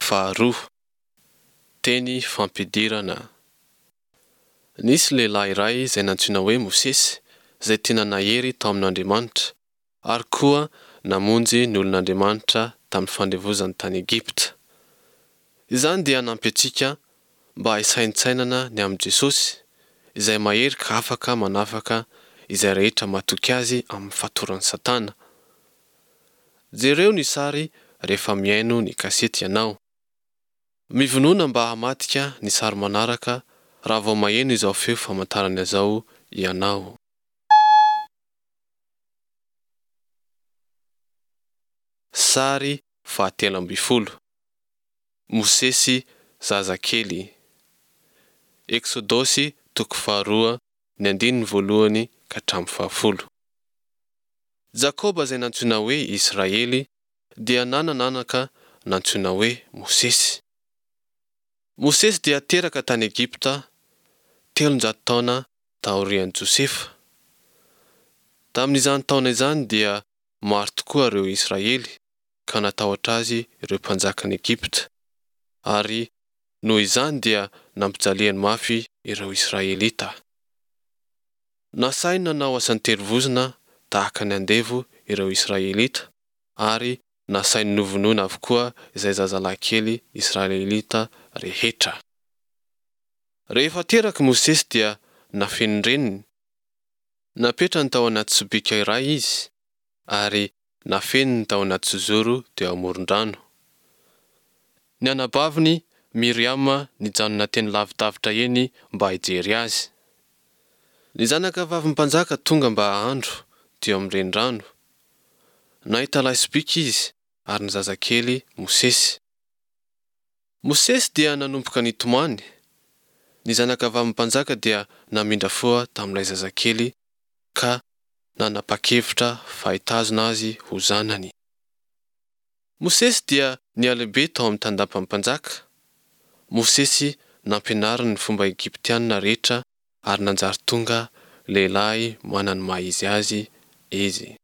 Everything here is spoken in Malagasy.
faharoa. Teny fampidirana. Nisy lehilahy iray izay nantsoina hoe Mosesy, izay tena nahery tao amin'Andriamanitra, ary koa namonjy ny olon'Andriamanitra tamin'ny fandevozany tany Egypta. Izany dia hanampy antsika mba hisaintsainana ny amin'i Jesosy, izay mahery ka afaka manafaka izay rehetra matoky Azy amin'ny fatoran'i Satana. Jereo ny sary rehefa mihaino ny kasety ianao. Mivonona mba hamadika ny sary manaraka raha vao maheno izao feo famantarana izao ianao. Sary fahatelo ambin'ny folo. Mosesy zazakely. Eksodosy toko faharoa ny andininy voalohany ka hatramin'ny fahafolo. Jakoba izay nantsoina hoe Israely dia nanana anaka nantsoina hoe Mosesy. Mosesy dia teraka tany Egypta 300 taona taorian'i Josefa. Tamin'izany taona izany dia maro tokoa ireo Israely ka natahotra azy ireo mpanjakan'i Egypta, ary noho izany dia nampijaliany mafy ireo Israelita. Nasainy nanao asan-terivozona tahaka ny andevo ireo Israelita, ary nasainy novonoina avokoa izay zazalahy kely Israelita rehetra. Rehefa teraka Mosesy dia nafenin'ny reniny. Napetrany tao anaty sobika iray izy, ary nafeniny tao anaty zozoro teo amoron-drano. Ny anabaviny, Miriama, nijanona teny lavidavitra eny mba hijery azy. Ny zanaka vavin'ny mpanjaka tonga mba hahandro teo amin'ny renirano. Nahita ilay sobika izy ary ny zazakely Mosesy. Mosesy dia nanomboka nitomany. Ny zanaka vavin'ny mpanjaka dia namindra fo tamin'ilay zazakely ka nanapa-kevitra fa hitazona azy ho zanany. Mosesy dia nihalehibe tao amin'ny tandapan'ny mpanjaka. Mosesy nampianariny ny fomba egyptianina rehetra ary nanjary tonga lehilahy manana ny maha izy azy izy.